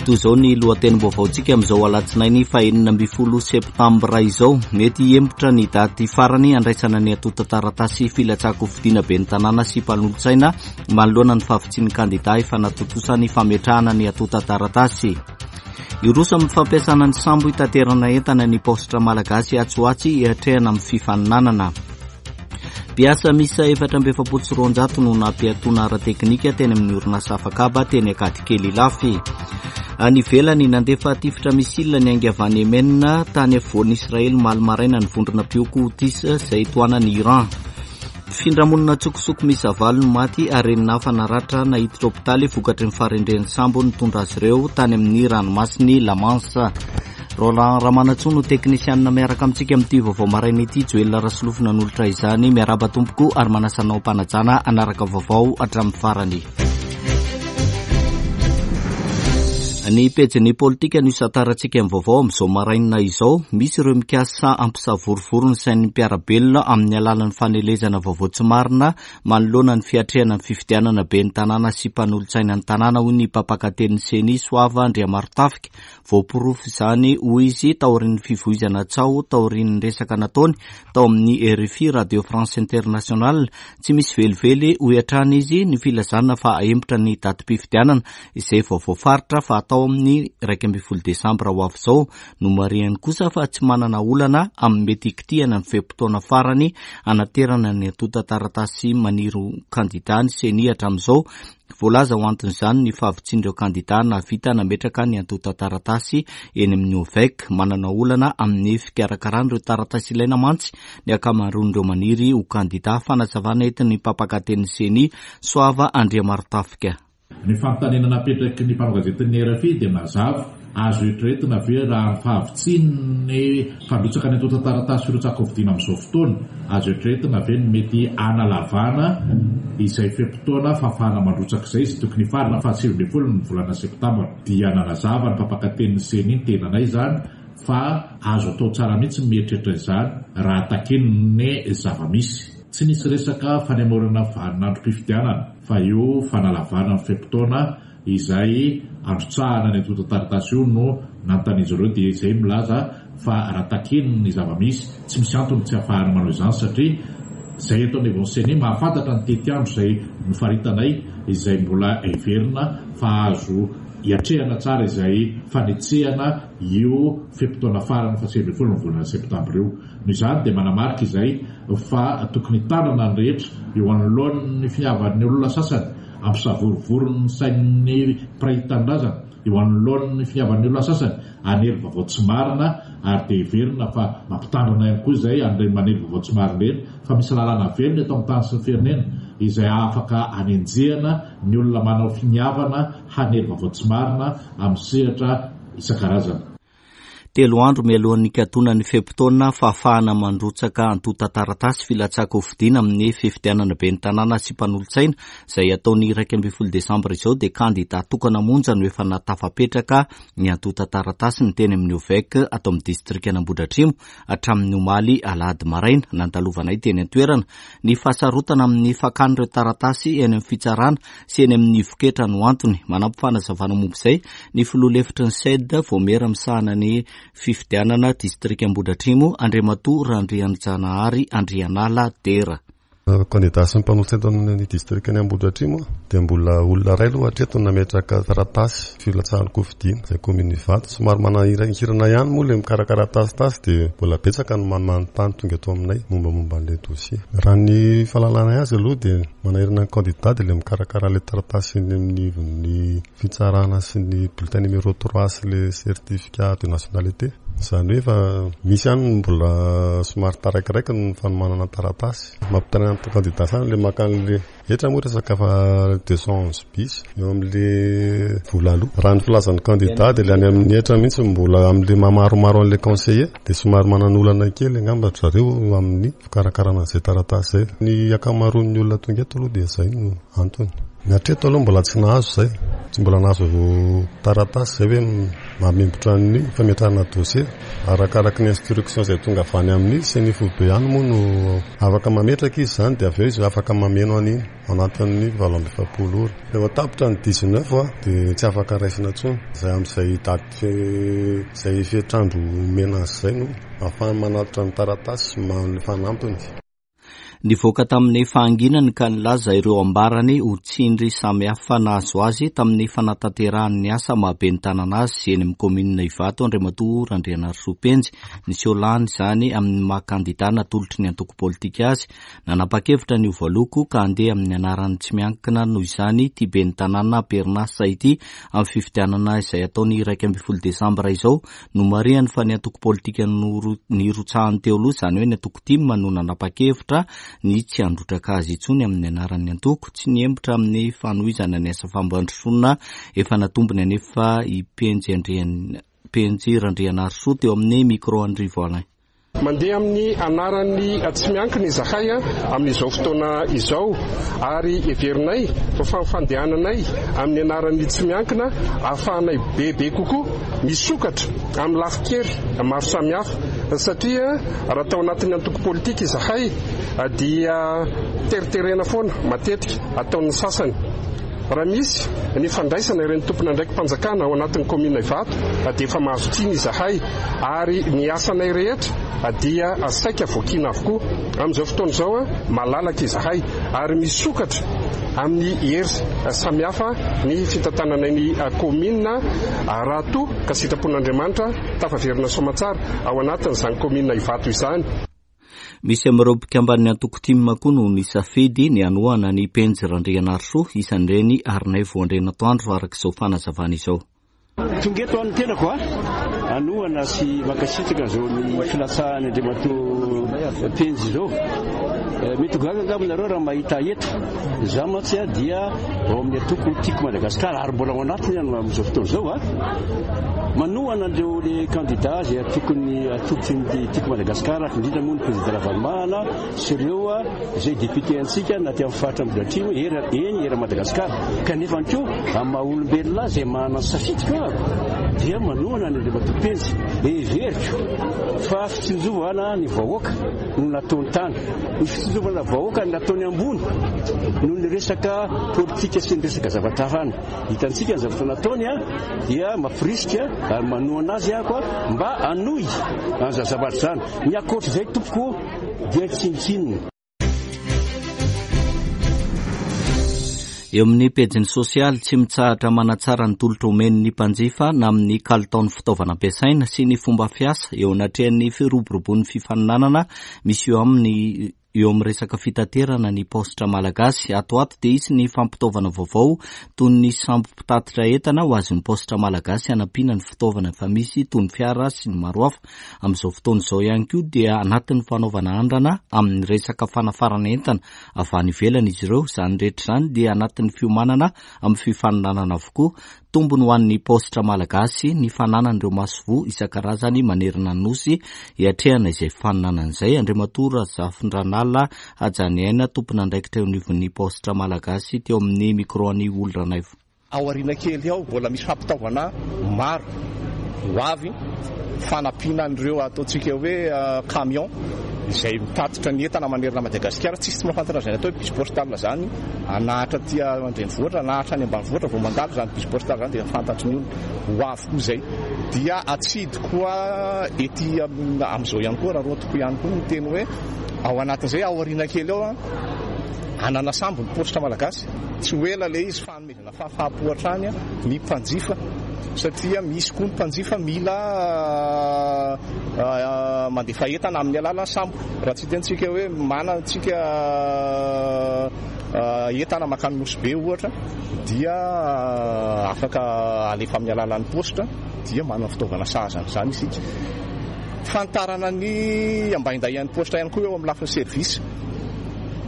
Toy izao ny lohatenim-baovaontsika amin'izao alatsinainy faha-16 septambra izao. Mety hihemotra ny daty farany handraisana ny antontan-taratasy filatsahan-kofidina ben'ny tanàna sy mpanolotsaina manoloana ny fahavitsian'ny kandidà efa natontosa ny fametrahana ny antontan-taratasy. Hiroso amin'ny fampiasana ny sambo hitaterana entana ny paositra malagasy atsy ho atsy hiatrehana amin'ny fifaninanana. Mpiasa miisa 244 no nampiatoana ara-teknika teny amin'ny orinasa afakaba teny Ankadikely Ilafy. Any ivelany, nandefa tifitra missile niainga avy any Yemen tany afovoan'i Israely omaly maraina ny vondrona mpihoko Houthis izay tohanan'i Iran. Mpifindra monina an-tsokosoko miisa valo no maty ary enina hafa naratra naiditra hopitaly vokatry ny faharendrehan'ny sambo nitondra azy ireo tany amin'ny ranomasin'i La Manche. Roland Ramanantsoa no teknisianina miaraka amintsika amin'ity vaovao maraina ity. Joel Rasolofo nanolotra izany. Miarahaba tompoko ary manasa anao am-panajana hanaraka vaovao hatramin'ny farany. Ny pejin'ny politika no isantarantsika ny vaovao amin'izao maraina izao. Misy ireo mikasa hampisavorovoro ny sain'ny mpiara-belona amin'ny alalan'ny fanelezana vaovao tsy marina manoloana ny fiatrehana ny fifidianana ben'ny tanàna sy mpanolotsaina ny tanàna, hoy ny mpampakatenin'ny Ceni, Soava Andriamarotafika. Voaporofo izany, hoy izy, taorian'ny fivoizana tsaho taorian'ny resaka nataony tao amin'ny rfi, Radio France Internationale. Tsy misy velively, hoy hatrany izy, ny filazana fa hahemotra ny datim-pifidianana izay vao voafaritra fa hatao amin'ny 11 desambra ho avy izao. Nomarihany kosa fa tsy manana olana amin'ny mety hikitihana ny fe-potoana farany hanaterana ny antontan-taratasy maniry ho kandidà ny Ceni hatramin'izao. Voalaza ho anton'izany ny fahavitsian'ireo kandidà nahavita nametraka ny antontan-taratasy eny amin'ny OVEC. Manana olana amin'ny fikarakarana ireo taratasy ilaina mantsy ny ankamaroan'ireo maniry ho kandidà. Fanazavana entin'ny mpampakatenin'ny Ceni, Soava Andriamarotafika. Ny fanontaniana napetraky ny mpanao gazetin'ny rfi dia mazava, Azo eritreretina ve raha ny fahavitsian'ny mpandrotsaka ny antontan-taratasy firotsahan-kofidina amin'izao fotoana, azo eritreretina ve ny mety hanalavana izay fe-potoana fahafahana mandrotsaka izay izay tokony hifarana faha 19 ny volana septambra? Dia nanazava ny mpampakatenin'ny Ceni ny tenanay izany fa azo atao tsara mihitsy ny mieritreritra izany raha takian'ny zava-misy. Tsy nisy resaka fanemorana vaninandrom-pifidianana fa io fanalavana ny fe-potoana Izay androtsahana ny antontan-taratasy io no nanontanian'izy ireo dia izay milaza fa raha takiany ny zava-misy, tsy misy antony tsy ahafahana manao izany satria izay eto anivon'ny Ceni mahafantatra ny tetiandro izay nofaritanay izay mbola heverina fa azo hiatrehana tsara izay fanetsehana io fe-potoana farany faha 19 ny volana septambra io. Noho izany dia manamarika izay fa tokony hitandrina ny rehetra eo anoloan'ny finiavan'ny olona sasany Hampisavorovoro ny sain'ny mpiray tanindrazana eo anoloan'ny finiavan'ny olona sasany hanely vaovao tsy marina ary dia heverina fa mampitandrina ihany koa izay an'ireny manely vaovao tsy marina ireny fa misy lalàna velona eto amin'ny tany sy ny firenena izay afaka hanenjehana ny olona manao finiavana hanely vaovao tsy marina amin'ny sehatra isan-karazany. Telo andro mialohan'ny hikatonan'ny fe-potoana fahafahana mandrotsaka antontan-taratasy filatsahan-kofidina amin'ny fifidianana ben'ny tanàna sy mpanolotsaina izay hatao ny 11 desambra izao dia kandida tokana monja no efa nahatafapetraka ny antontan-taratasiny teny amin'ny OVEC ato amin'ny distrikan'Ambohidratrimo hatramin'ny omaly alahady maraina nandalovanay teny an-toerana. Ny fahasarotana amin'ny fakana ireo taratasy eny amin'ny fitsarana sy eny amin'ny ivon-ketra no antony. Manampy fanazavana momba izay ny filoha lefitry ny CED, vaomiera misahana ny fifidianana distrika Ambohidratrimo, Andriamatoa Randrianjanahary Andrianala Dera. Kandida sy ny mpanolotsaina tao amin'ny distrikan'i Ambohidratrimo dia mbola olona iray aloha hatreto no nametraka taratasy filatsahan-kofidina izay kaominina Ivato. Somary manahirankirana ihany moa ilay mikarakara taratasy dia mbola betsaka ny manontany tonga eto aminay mombamomba an'ilay dossier. Raha ny fahalalanay azy aloha dia Manahirana ny kandida dia ilay mikarakara ilay taratasy eny amin'ny ivon'ny fitsarana sy ny bulletin numéro 3 sy ilay certificat de nationalité. Izany hoe efa misy ihany ny mbola somary taraikiraiky ny fanomanana taratasy. Mampitaraina ny kandida sasany ilay maka an'ilay hetra moa resaka fa 211 bis eo amin'ilay vola aloa. Raha ny filazan'ny kandida dia ilay any amin'ny hetra mihitsy mbola amin'ilay maha maromaro an'ilay conseiller dia somary manan'olana kely angamba ry zareo amin'ny Fikarakarana an'izay taratasy izay. Ny ankamaroan'ny olona tonga eto aloha dia izay no antony. Ny hatreto aloha mbola tsy nahazo izay. Tsy mbola nahazo taratasy izay hoe mamembotra ny fametrahana dossier. Arakaraky ny instruction izay tonga avy any amin'ny CENI foibe ihany moa no afaka mametraka izy izany dia avy eo izy afaka mameno an'iny. anatin'ny 48 ora. Rehefa tapitra ny 19 dia tsy afaka raisina intsony. Izay amin'izay daty izay fetr'andro omena azy izay no ahafahany manatitra ny taratasy sy fanampiny. Nivoaka tamin'ny fahanginany ka nilaza ireo ambarany ho tsindry samihafa nahazo azy tamin'ny fanatanterahany ny asa maha ben'ny tanana azy eny amin'ny kaominina Ivato Andriamatoa Randrianarisoa Penjy. Niseho lany izany amin'ny maha kandida natolotry ny antoko politika azy. Nanapa-kevitra ny ho voaloko ka handeha amin'ny anaran'ny tsy miankina noho izany ity ben'ny tanàna am-perinasa ity amin'ny fifidianana izay hatao ny 11 desambra izao. Nomarihany fa ny antoko politika nirotsahany teo aloha, izany hoe ny antoko tim no nanapa-kevitra ny tsy handrotraka azy intsony amin'ny anaran'ny antoko. Tsy nihemotra amin'ny fanohizana ny asa fampandrosoana efa natombony anefa i Penjy Penjy Randrianarisoa teo amin'ny micro an'i Rivo Alain. Mandeha amin'ny anaran'ny tsy miankina izahay amin'izao fotoana izao ary heverinay fa fandehananay amin'ny anaran'ny tsy miankina ahafahanay bebe kokoa misokatra amin'ny lafin-kery maro samihafa satria raha tao anatin'ny antoko politika izahay dia teriterena foana matetika ataon'ny sasany. Raha misy ny fandraisana ireny tompon'andraiki-panjakana ao anatin'ny kaominina Ivato dia efa mahazo tsiny izahay ary ny asanay rehetra dia saika voakiana avokoa. Amin'izao fotoana izao malalaka izahay ary misokatra amin'ny hery samihafa ny fitantananay ny kaominina raha toa ka sitrapon'Andriamanitra tafaverina soamantsara ao anatin'izany kaominina Ivato izany. Misy amin'ireo mpikamban'ny antoko tim koa no nisafidy ny hanohana an'i Penjy Randrianarisoa, isan'ireny Harinaivo Andrianatoandro araka izao fanazavana izao. Tonga eto aho ny tenako hanohana sy mankasitraka izao ny filatsahan'i Andriamatoa Penjy izao. Mety ho gaga angamba nareo raha mahita ahy eto. Izaho mantsy dia ao amin'ny antoko Tiako Madagasikara ary mbola ao anatiny aho amin'izao fotoana izao. Manohana an'ireo le kandida izay tokony atolotry ny Tiako Madagasikara, indrindra moa ny Président Ravalomanana sy ireo izay député antsika na aty amin'ny faritra Ambohidratrimo, eny eran'i Madagasikara. Kanefa ihany koa amin'ny maha olombelona ahy izay manana ny safidiko aho dia manohana an'i Andriamatoa Penjy. Heveriko fa fitsinjovana ny vahoaka no nataony tany. Ny fitsinjovana vahoaka no nataony ambony noho ny resaka politika sy ny resaka zavatra hafa any. Hitantsika ny zavatra nataony dia mampirisika ary manohana azy aho mba hanohy an'izany zavatra izany. Ny ankoatr'izay tompoko dia tsinontsinona. Eo amin'ny pejiny sosialy, tsy mitsahatra manatsara ny tolotra omeny ny mpanjifa na amin'ny kalitaon'ny fitaovana ampiasaina sy ny fomba fiasa eo anatrehan'ny firoborobon'ny fifaninanana misy eo amin'ny eo amin'ny resaka fitaterana ny paositra malagasy. Ato ho ato dia hisy ny fampitaovana vaovao toy ny sambo mpitatitra entana ho azon'ny paositra malagasy hanampiana ny fitaovana efa misy toy ny fiara sy ny maro hafa. Amin'izao fotoana izao ihany koa dia anatin'ny fanaovana andrana amin'ny resaka fanafarana entana avy any ivelany izy ireo. Izany rehetra izany dia anatin'ny fiomanana amin'ny fifaninanana avokoa. Tombony ho an'ny paositra malagasy ny fananana ireo masoivoho isan-karazany manerana ny Nosy hiatrehana izay fifaninanana izay. Andriamatoa Razafindranala Hajaniaina, tompon'andraikitra eo anivon'ny paositra malagasy teo amin'ny micro an'i Holy Ranaivo. Ao aoriana kely ao mbola misy fampitaovana maro ho avy, fanampiana an'ireo ataontsika hoe camion izay mitatitra ny entana manerana an'i Madagasikara. Tsisy tsy mahafantatra an'izany atao hoe bus postal izany, anahatra aty an-drenivohitra, anahatra any ambanivohitra vao mandalo izany bus postal izany dia fantatry ny olona. Ho avy koa izay. Dia atsidy koa ety amin'izao ihany koa, raha roa-toko ihany koa ny teny hoe ao anatin'izay ao aoriana kely ao hanana sambo ny paositra malagasy. Tsy ho ela ilay izy fa hanomezana fahafaham-po hatrany ny mpanjifa satria misy koa ny mpanjifa mila mandefa entana amin'ny alalan'ny sambo. Raha tsy hitentsika hoe manana antsika entana mankany Nosy Be ohatra dia afaka alefa amin'ny alalan'ny paositra dia manana fitaovana sahaza an'izany isika. Fanitarana ny ambaindahian'ny paositra ihany koa eo amin'ny lafiny service.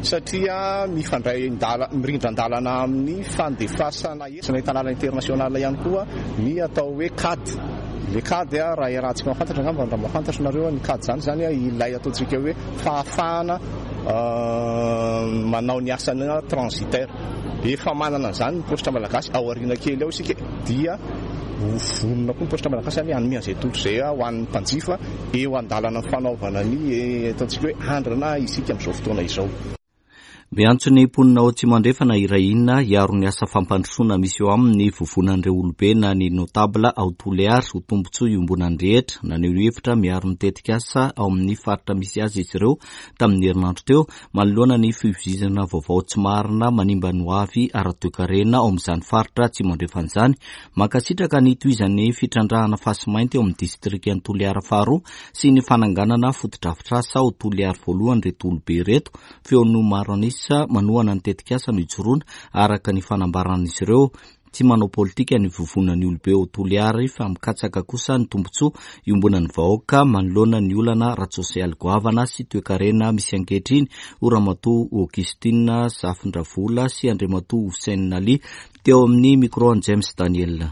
Satria mifandray mirindran-dalana amin'ny fandefasana hetsika entanala international ihany koa ny atao hoe cad. Ilay cad raha iarahantsika mahafantatra angamba, raha mahafantatra nareo ny cad izany izany ilay ataontsika hoe fahafahana manao ny asana transitaire. Efa manana an'izany ny paositra malagasy, ao aoriana kely ao isika dia ho vonona koa ny paositra malagasy hanome an'izay tolotra izay ho an'ny mpanjifa. Eo an-dalana fanaovana ny ataontsika hoe andrana isika amin'izao fotoana izao. Miantso ny mponina ao Atsimo Andrefana hiray hina hiaro ny asa fampandrosoana misy eo aminy ny vovonan'ireo olobe na ny notable ao Toliara ho tombontsoa iombonan'ny rehetra. Naneho hevitra miaro ny tetikasa ao amin'ny faritra misy azy izy ireo tamin'ny herinandro teo manoloana ny fivoizana vaovao tsy marina manimba ny hoavy ara-toekarena ao amin'izany faritra Atsimo Andrefana izany. Mankasitraka ny hitohizan'ny fitrandrahana fasimainty ao amin'ny distrikan'i Toliara faharoa sy ny fananganana fotodrafitrasa ao Toliary voalohany ireto olobe ireto. Feon'ny maro an'isa manohana ny tetikasa no ijoroana, araka ny fanambaran'izy ireo. Tsy manao politika ny vovonan'ny olobe ao Toliary fa mikatsaka kosa ny tombontsoa iombonan'ny vahoaka manoloana ny olana ara-tsosialy goavana sy toekarena misy ankehitriny, hoy Ramatoa Augustine Zafindravola sy Andriamatoa Hussein Ali teo amin'ny micro an'i James Daniel.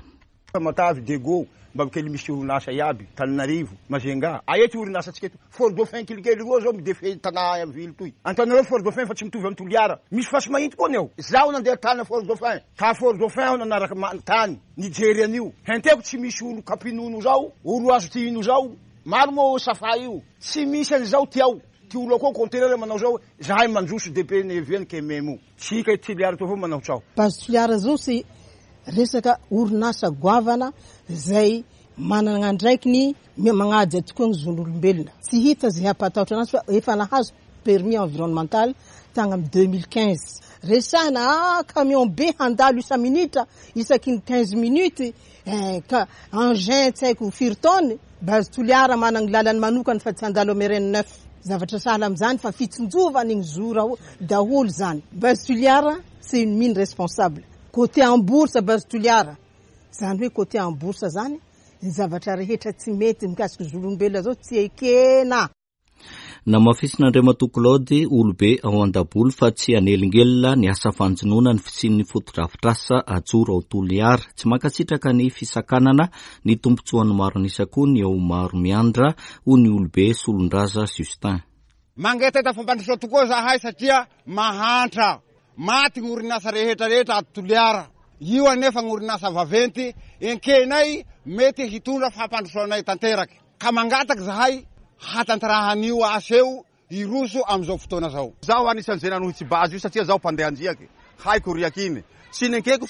Tamatave, Diego, mba kely misy orinasa iaby, Tananarivo, Majunga. Aia ty orinasa tsika eto? Fort Dauphin kelikely roa zao midefy tanà ville toy. Antananarivo Fort Dauphin fa tsy mitovy am Toliara. Misy fasi-mahitsy koa ny ao. Zaho nandeha tany Fort Dauphin. Ta Fort Dauphin aho nanaraka tany nijery an'io. Henteko tsy misy olo kapinono zao, olo azo tihino zao. Maro moa safa io. Tsy misy an'izao ty ao. Ty olo akao conteneur manao zao, zahay mandroso DP neviany kememo. Tsika eto Toliara eto avao manao tsaho. Base Toliara zao c'est resaka orinasa goavana izay manana andraikiny magnaja tokoa ny zon'olombelona. Tsy hita izay hampatahotra anazy fa efa nahazo permis environnemental tagny amin'ny 2015. Resahina ah camion be handalo isa-minitra isaky ny 15 minutes eh, ka engin tsy haiko firy tonnes. Base Toliara manana ny lalany manokana fa tsy handalo amin'ny RN 9. Zavatra sahala amin'izany fa fitsinjovana igny zo daholo zany. Base Toliara c'est une mine responsable. Côté en bourse Base Toliara. Zany hoe côté en bourse zany, ny zavatra rehetra tsy mety mikasika zon'olombelona zao tsy ekena. Namafisin'Andriamatoa Claude, olobe ao Andaboly fa tsy hanelingelina ny asa fanjonoana ny fisian'ny fotodrafitrasa ajoro ao Toliara. Tsy mankasitraka ny fisakanana ny tombontsoan'ny maro an'isa koa ny ao Maromiandra, hoy ny olobe Solondraza Justin. Mangetaheta fampandrosoana tokoa zahay satria mahantra. Maty ny orinasa rehetra rehetra ato Toliara. Io anefa ny orinasa vaventy enkenay mety hitondra fampandrosoanay tanteraky. Ka mangataky zahay hatanterahan'io asa io hiroso amin'izao fotoana zao. Zaho anisan'izay nanohitsy base io satria zaho mpandeha andriaky, haiko riaky iny. Tsy nenkeko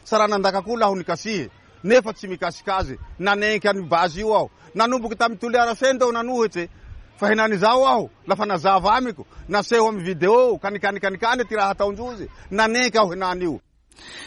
saranandakako laho nikasihy nefa tsy mikasika azy. Nanenky an'io base io aho. Nanomboky tamy Toliara Sento aho nanohitsy fa henan'izao aho lafa nazava amiko, naseho amy video kanikany ty raha ataondrozy, nanenky aho henan'io.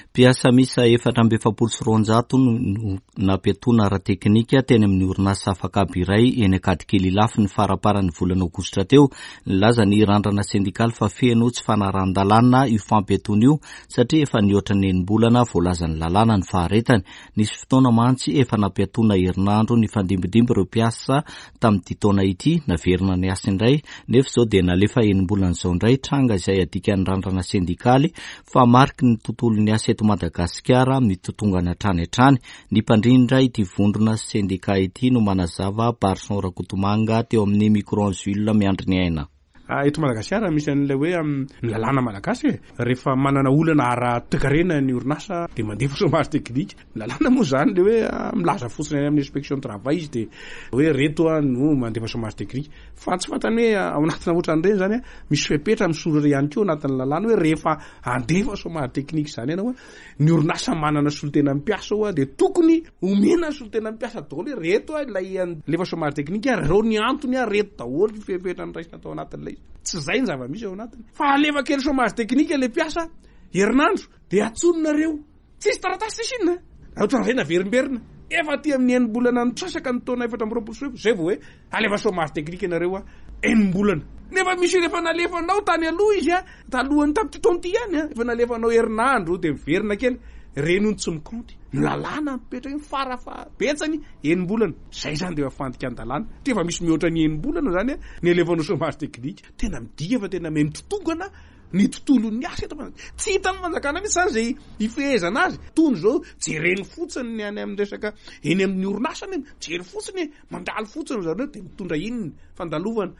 Mpiasa miisa 244 no nampiatoana ara-teknika teny amin'ny orinasa afak'haba iray eny Ankadikely Ilafy ny faramparan'ny volana aogositra teo. Nilaza ny Randrana sendikaly fa feno tsy fanarahan-dalàna io fampiatoana io satria efa nihoatra ny enim-bolana voalazan'ny lalàna ny faharetany. Nisy fotoana mantsy efa nampiatoana herinandro nifandimbindimby ireo mpiasa tamin'ity taona ity, naverina niasa indray, nefa izao dia nalefa enim-bolana izao indray, tranga izay adikan'ny randrana sendikaly fa mariky ny tontolon'ny asa eto Madagasikara mitotongana hatrany hatrany. Ny mpandrindra ity vondrona sendika ity no manazava Barson Rakotomanga teo amin'ny micro Jules Miandriniaina. Eto Madagasikara misy an'ilay hoe ny lalàna malagasy e, rehefa manana olana ara-toekarena ny orinasa dia mandefa chômage technique. Ny lalàna moa izany ilay hoe milaza fotsiny any amin'ny inspection du travail izy dia hoe reto no mandefa chômage technique. Fa tsy fantany hoe ao anatina ohatran'ireny izany misy fepetra misoratra ihany koa anatin'ny lalàna hoe rehefa handefa chômage technique izany ianao, ny orinasa manana solontena mpiasa ao dia tokony omena ny solontena mpiasa daholo hoe reto ilay alefa chômage technique ary ireo ny antony ary reto daholo ny fepetra noraisina tao anatin'ilay izy. Tsy izay ny zava-misy ao anatiny. Fa alefa kely chômage technique ilay mpiasa herinandro dia antsoninareo. Tsisy taratasy tsisy inona. Ohatran'izay naverimberina. Efa aty amin'ny enim-bolana nitrasaka ny taona 2024 izay vao hoe Alefa chômage technique ianareo a, enim-bolana. Nefa misy olona efa nalefanao tany aloha izy a, talohan'ny tamin'ity taona ity ihany a, efa nalefanao herinandro dia miverina kely, ireny hono tsy mikaonty. Ny lalàna mipetraka iny fara fahabetsany enim-bolana. Izay izany dia efa fandikan-dalàna. Satria efa misy mihoatra ny enim-bolana izany a, ny alefanao chômage technique. Tena midika fa tena miha mitotongana ny tontolon'ny asa eto Madagasikara. Tsy hitan'ny fanjakana mihitsy izany izay hifehezana azy. Tony izao jereny fotsiny ny any amin'ny resaka eny amin'ny orinasa anie, mijery fotsiny e, mandalo fotsiny zareo dia mitondra inona fandalovana.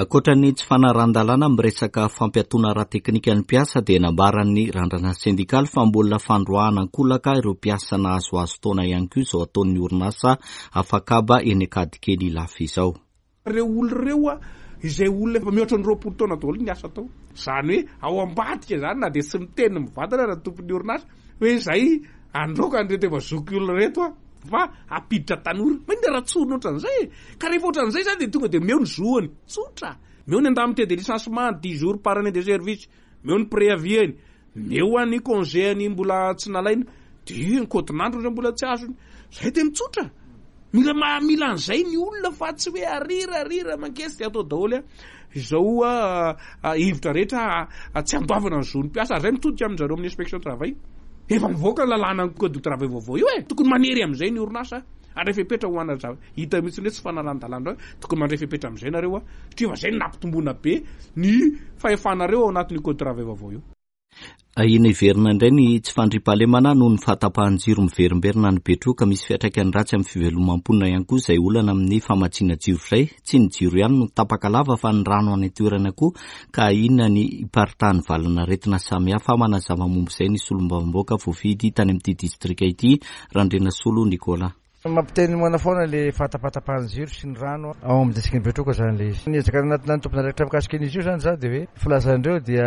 Ankoatra ny tsy fanarahan-dalàna amin'ny resaka fampiatoana ara-teknika ny mpiasa dia nambaran'ny Randrana sendikaly fa mbola fandroahana an-kolaka ireo mpiasa nahazoazo taona ihany koa izao ataon'ny orinasa afak'haba eny Ankadikely Ilafy izao. Ireo olona ireo izay olona efa mihoatra ny 20 taona daholo niasa tao. Izany hoe ao ambadika izany na dia tsy miteny mivantana ara ny tompon'ny orinasa hoe izay handroaka an'ireto efa zokiolona ireto aho fa hampiditra tanora. Maninona raha tsorina ohatran'izay e? Ka rehefa ohatran'izay izany dia tonga dia omeo ny zoany. Tsotra. Omeo ny indemnité de licenciement, dix jours par année de service. Omeo ny préavis-ny. Omeo any congé-ny mbola tsy nalaina. Dia ny kaotin'androny izay mbola tsy azony. Izay dia mitsotra. Mila maha mila an'izay ny olona fa tsy hoe arira arira mankesy dia atao daholo izao hevitra rehetra tsy andoavana ny zon'ny mpiasa ary izay mitodika amin-dry zareo amin'ny inspection travail. Efa mivoaka ny lalàna ny code du travail vaovao io e! Tokony manery amin'izay ny orinasa handray fepetra ho ana zavatra hita mihitsy hoe tsy fanarahan-dalàna indray, tokony mandray fepetra amin'izay nareo satria efa izay no nampitomboana be ny fahefanareo ao anatin'io code travail vaovao io. Ahiana hiverina indray ny tsy fandriampahalemana noho ny fahatapahan-jiro miverimberina any Betroka. Misy fiantraikany ratsy amin'ny fivelomam-ponina ihany koa izay olana amin'ny famatsiana jiro izay. Tsy ny jiro ihany no tapaka lava fa ny rano any an-toerana koa ka ahiana ny hiparitahan'ny valan'aretina samihafa. Manazava momba izay ny solombavambahoaka voafidy tany amin'ity distrika ity, Randrianasolo Nicolas. Mampiteny moana foana le fahatapatapahan'ny jiro sy ny rano ao amin'ny distrikan'i Betroka zany le izy. Niezaka nanatona ny tompon'andraikitra mikasika an'izy io zany za dia hoe filazandreo dia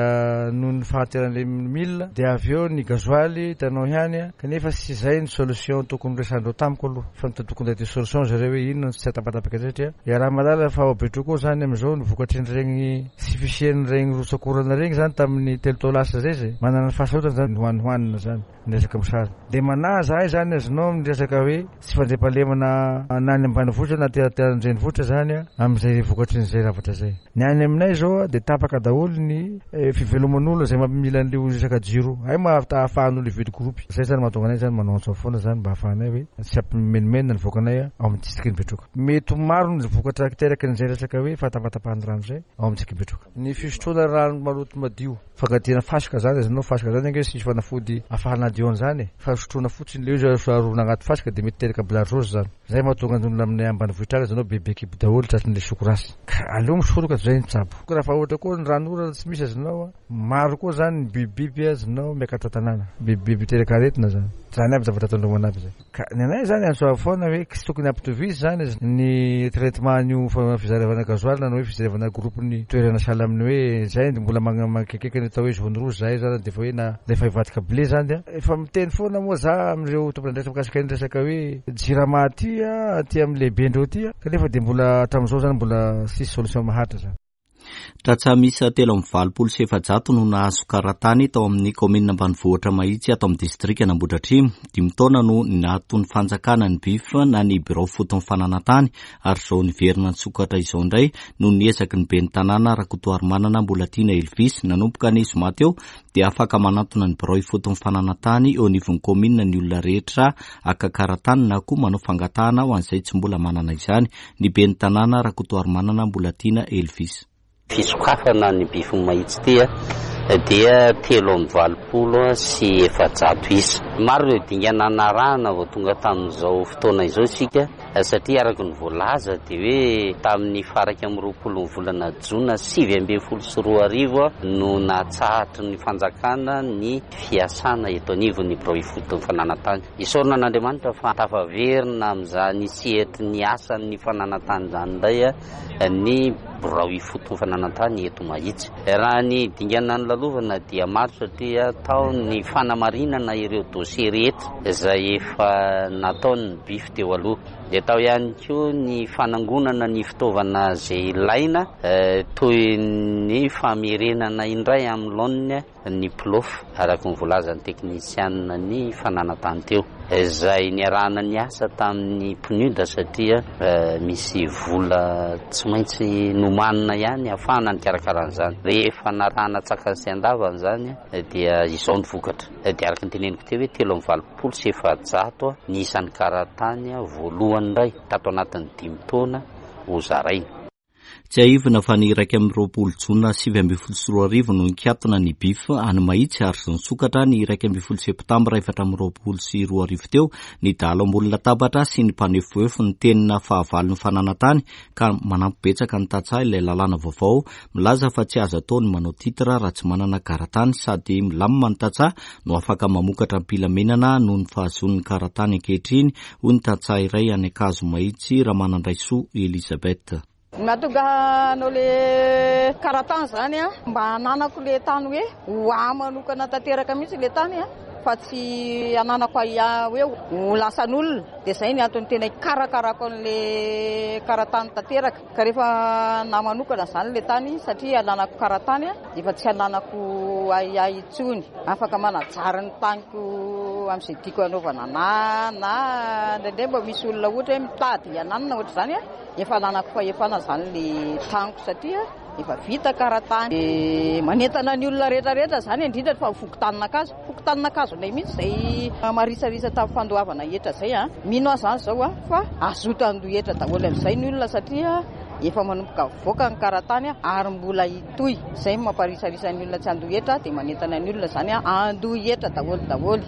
noho ny fahanteran'le mila dia avy eo ny gasoil hitanao ihany kanefa tsy izay ny solution tokony horesahandreo tamiko aloha fa tokony hitady solution zareo hoe inona no tsy hahatapatapaka an'izay satria iaraha-mahalala fa ao Betroka ao zany amin'izao ny vokatrin'ireny tsy fisian'ireny rotsak'orana ireny zany tamin'ny 3 taona lasa zay zay manana ny fahasarotana zany ny hohanihohanina zany. Ny resaka mosary. Dia manahy zahay zany azonao amin'ny resaka hoe tsy fandriampahalemana na any ambanivohitra na aty an-drenivohitra zany amin'izay vokatrin'izay zavatra izay. Ny any aminay zao dia tapaka daholo ny fiveloman'olona izay mampimila an'ilay resaka jiro. Hay ma ahafahan'olona hividy groupe. Izay zany mahatonga anay zany manao antso foana zany mba ahafahanay hoe tsy hampimenomenona ny vahoakanay ao amin'ny distrikan'i Betroka. Mety ho maro ny vokatra aterakin'izay resaka hoe fahatapatapahan'ny rano izay ao amin'ny distrikan'i Betroka. Ny fisotroana rano maloto madio. Fankadiana fasika zany azonao, fasika zany ange tsisy fanafody afahana hadio an'izany e, fa sotroina fotsiny le izy arona agnaty fasika de mety teraka bilariose zany, zay mahatonga ny olona aminay ambanivohitra any azonao bebe kibo daholo tratrin'le soko rasy, ka aleo misoroka toy zay mitsabo. Raha fa ohatra koa ny rano orana tsy misy azonao a, maro koa zany ny bibibiby azonao miakatra tanàna, bibibiby miteraka aretina zany, zany aby zavatra tandromana aby zay. Ka ny anay zany antso avo foana hoe tsy tokony ampitovizy zany ny traitement an'io fizaravana gasoil na ny hoe fijerevana groupe ny toerana sahala amin'ny hoe zay mbola manakekeka ny atao hoe jaune rouge zahay zany dia efa hoe na efa hivadika bleu zany dia efa miteny foana moa za amin'ireo tompon'andraikitra mikasika ny resaka hoe jirama aty aty amin'ny lehibendreo aty kanefa dia mbola hatramin'izao zany mbola tsisy solution maharitra zany. Tantsaha miisa 483 no nahazo karatany tao amin'ny kaominina ambanivohitra Mahitsy ato amin'ny distrikan'Ambohidratrimo. Dimy taona no naaton'ny fanjakana ny BIF na ny birao foton'ny fananantany ary izao niverina nisokatra izao indray noho ny ezaky ny ben'ny tanàna Rakotoarimanana Mbolatiana Elvis. Nanomboka ny zoma teo dia afaka manantona ny birao ifoton'ny fananantany eo anivon'ny kaominina ny olona rehetra haka karatany na koa manao fangatahana ho an'izay tsy mbola manana izany. Ny ben'ny tanàna Rakotoarimanana Mbolatiana Elvis. Fisokafana ny Bify Mahitsy ity dia 483 isa. Maro ireo dingana narahana vao tonga tamin'izao fotoana izao isika satria araka ny voalaza dia hoe tamin'ny faha 21 ny volana jona 2019 no natsahatry ny fanjakana ny fiasana eto anivon'ny birao ifoton'ny fananantany. Isaorana an'Andriamanitra fa tafaverina amin'izany sehatry ny asan'ny fananantany izany indray ny birao ifoton'ny fananantany eto Mahitsy. Raha ny dingana nolalovana dia maro satria tao ny fanamarinana ireo dossier rehetra izay efa nataon'ny BIF teo aloha. Dia tao ihany koa ny fanangonana ny fitaovana izay ilaina toy ny famerenana indray amin'ny laoniny ny PLOF, araka ny voalazan'ny teknisianina ny fananantany teo, izay niarahana niasa tamin'ny PNUD satria misy vola tsy maintsy nomanina ihany ahafahana nikarakara an'izany. Rehefa narahana an-tsakany sy an-davany izany dia izao ny vokatra. Dia araka ny teneniko teo hoe 483 ny isan'ny karatany voalohany indray tato anatin'ny dimy taona hozaraina. Tsiahivina fa ny 21 jona 2019 no nikatona ny BIF any Mahitsy ary nisokatra ny 11 septambra 2024 teo ny dahalo ambony latabatra sy ny mpanefoefo ny tenina fahavalon'ny fananantany ka manampy betsaka ny tantsaha ilay lalàna vaovao milaza fa tsy azo atao ny manao titre raha tsy manana karatany sady milamina ny tantsaha no afaka mamokatra am-pilaminana noho ny fahazoany ny karatany ankehitriny hoy ny tantsaha iray any Ankazomahitsy Ramanandraisoa Elisabeth. Ny mahatonga hanao le karatany zany a, mba hananako le tany hoe ho ahy manokana tanteraka mihitsy le tany a, fa tsy hananako ahiahy hoe ho lasan'olona. Dia izay ny antony tena hikarakarako an'le karatany tanteraka. Ka rehefa anahy manokana izany le tany satria ananako karatany dia efa tsy ananako ahiahy intsony. Afaka manajary ny taniko amin'izay tiako hanaovana anahy na indraindray mba misy olona ohatra hoe mitady hananina ohatr'izany. Efa ananako fahefana izany le taniko satria efa vita karatany. Dia manentana ny olona rehetra rehetra izany indrindra fa ny fokontanin'Ankazo. Fokontanin'Ankazonay mihitsy izay marisarisa tamin'ny fandoavana hetra izay an. Mino aho izany izao an fa hazoto handoa hetra daholo amin'izay ny olona satria efa manomboka mivoaka ny karatany ary mbola hitohy. Izay no mamparisarisa ny olona tsy handoa hetra dia manentana ny olona izany handoa hetra daholo daholo.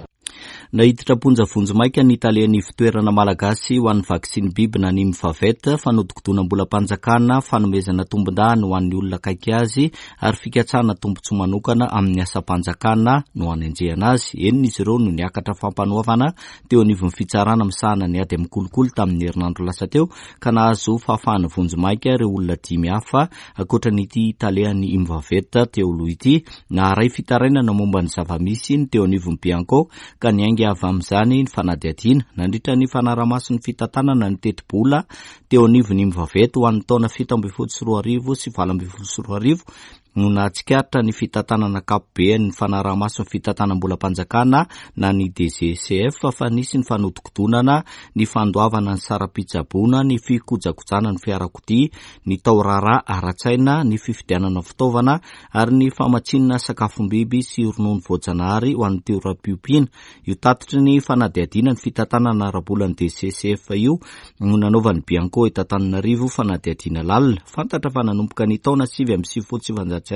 Naiditra am-ponja vonjimaika ny talen'ny Ivontoerana malagasy ho an'ny vaksiny biby na ny Mvavet, fanodikodinam-bolam-panjakana, fanomezana tombondahiny ho an'ny olona akaiky azy ary fikatsahana tombontsoa manokana amin'ny asam-panjakana no anenjehana azy. Enina izy ireo no niakatra fampanoavana teo anivon'ny fitsarana misahana ny ady amin'ny kolikoly tamin'ny herinandro lasa teo ka nahazo fahafahana vonjimaika ireo olona dimy hafa ankoatra an'ity talehan'ny Mvavet teo aloha ity. Naharay fitarainana momba ny zava-misy ny teo anivon'ny Bianco ka niainga avy amin'izany ny fanadihadiana. Nandritra ny fanarahamaso ny fitantanana ny tetibola teo anivon'ny Mvavet ho an'ny taona 2017 sy 2018 no nahatsikaritra ny fitantanana ankapobean'ny fanarahamaso ny fitantanam-bolam-panjakana na ny DGCF fa nisy ny fanodikodonana ny fandoavana ny saram-pitsaboana, ny fikojakojana ny fiarakodia, ny tao-raharaha ara-tsaina, ny fividianana fitaovana ary ny famatsiana sakafom-biby sy ronono voajanahary ho an'ny toeram-piompiana. Io tatitry ny fanadihadiana ny fitantanana ara-bolan'ny DCCF io no nanaovan'ny Bianco eto Antananarivo fanadihadiana lalina. Fantatra fa nanomboka ny taona 1999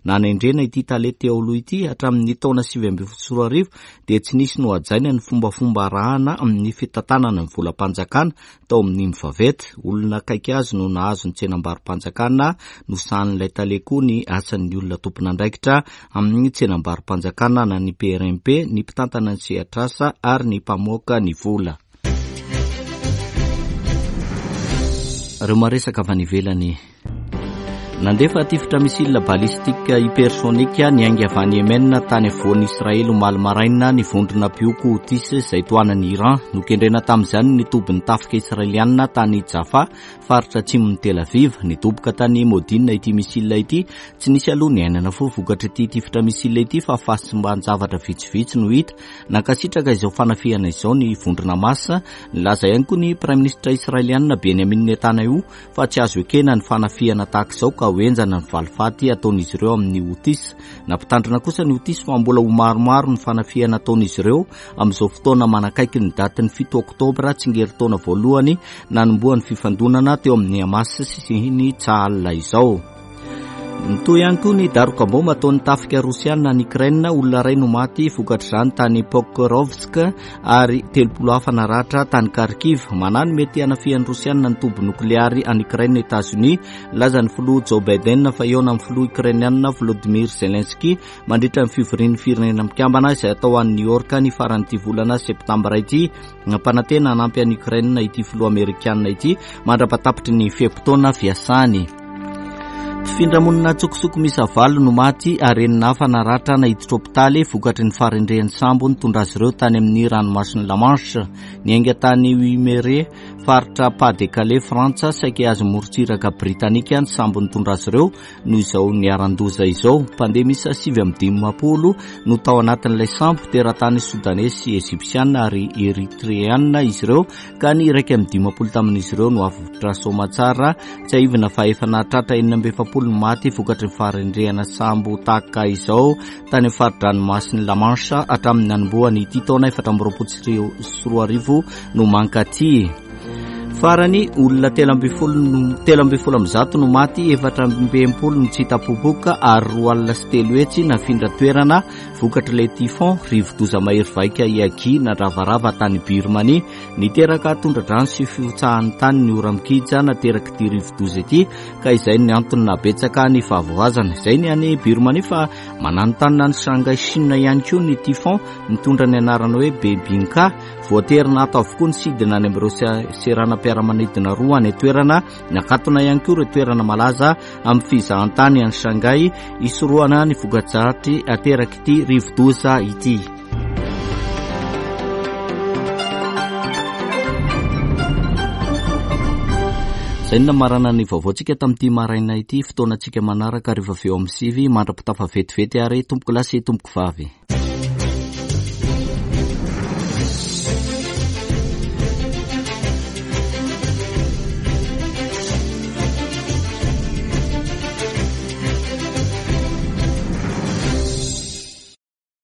nanendrena ity tale teo aloha ity hatramin'ny taona 2019 dia tsy nisy nohajaina ny fombafomba arahana amin'ny fitantanana ny volam-panjakana tao amin'ny Mvavet. Olona akaiky azy no nahazo ny tsenambaro-panjakana, nosahanin'ilay tale koa ny asan'ny olona tompon'andraikitra amin'ny tsenambaro-panjakana na ny PRMP, ny mpitantana ny sehatr'asa ary ny mpamoaka ny vola. Ireo maresaka avy any ivelany. Nandefa tifitra missile balistique hypersonique niainga avy any Yemen tany afovoan'i Israely omaly maraina ny vondrona mpihoko Houthis izay tohanan'i Iran. Nokendrena tamin'izany ny tobin'ny tafika israelianina tany Jaffa, faritra atsimon'i Tel Aviv. Nidoboka tany Modin ity missile ity. Tsy nisy aloha ny aina nafoy vokatr'ity tifitra missile ity fa fahasimban-javatra vitsivitsy no hita. Nankasitraka izao fanafihana izao ny vondrona Hamas. Nilaza ihany koa ny praiminisitra israelianina Benjamin Netanyahu fa tsy azo ekena ny fanafihana tahaka izao ka ho henjana ny valifaty ataon'izy ireo amin'ny Houthis. Nampitandrina kosa ny Houthis fa mbola ho maromaro ny fanafihana ataon'izy ireo amin'izao fotoana manakaiky ny datin'ny 7 oktobra, tsingerin-taona voalohany nanombohan'ny fifandonana teo amin'ny Hamas sy ny Tsahal izao. Mitohy ihany koa ny daroka baomba ataon'ny tafika rosiana any Ukraine. Olona iray no maty vokatr'izany tany Pokrovsk ary 30 hafa naratra tany Kharkiv. Manahy ny mety hanafihan'ny rosiana ny toby nokleary any Ukraine Etazonia. Nilaza ny filoha Joe Biden fa hihaona amin'ny filoha ukrainiana Volodymyr Zelensky mandritra ny fivorian'ny Firenena Mikambana izay hatao any New York ny faran'ity volana septambra ity. Nampanantena hanampy an'i Ukraine ity filoha amerikana ity mandra-patapitry ny fe-potoana fiasany. Mpifindra monina an-tsokosoko miisa valo no maty ary enina hafa naratra naiditra hopitaly vokatry ny faharendrehan'ny sambo nitondra azy ireo tany amin'ny ranomasin'i La Manche. Niainga tany Wimereux, faritra Pas-de-Calais, Frantsa, saika hihazo morontsiraka britanika ny sambo nitondra azy ireo noho izao niharan-doza izao. Mpandeha miisa 59 no tao anatin'ilay sambo, teratany sodaney sy egyptiana ary eritreana izy ireo, ka ny 51 tamin'izy ireo no avotra soamatsara. Tsiahivina fa efa nahatratra 46 ny maty vokatry ny faharendrehana sambo tahaka izao tany amin'ny fari-dranomasin'i La Manche hatramin'ny nanombohany ity taona 2024 no mankaty. Farany, olona 113 no maty, 64 no tsy hita popoka ary 302 nafindra toerana vokatr'ilay typhon, rivodoza mahery vaika Yagi nandravarava tany Birmanie. Niteraka tondra-drano sy fihotsahan'ny tany ny ora-mikija naterak'ity rivodoza ity ka izay ny antony nahabetsaka ny fahavoazana. Izay ny any Birmanie fa mananontanona any Shanghai Chine ihany koa ny typhon mitondra ny anarana hoe Bebinka. Voatery naato avokoa ny sidina any amin'ireo seranam-piaramanidina. seranam-piaramanidina roa any an-toerana. Nakatona ihany koa ireo toerana malaza amin'ny fizahantany any Shanghai hisorohana ny voka-dratsy aterak'ity rivodoza ity. Izay no namarana ny vaovaontsika tamin'ity maraina ity. Fotoanantsika manaraka rehefa avy eo amin'ny sivy mandra-pitafa vetivety ary tompokolahy sy tompokovavy.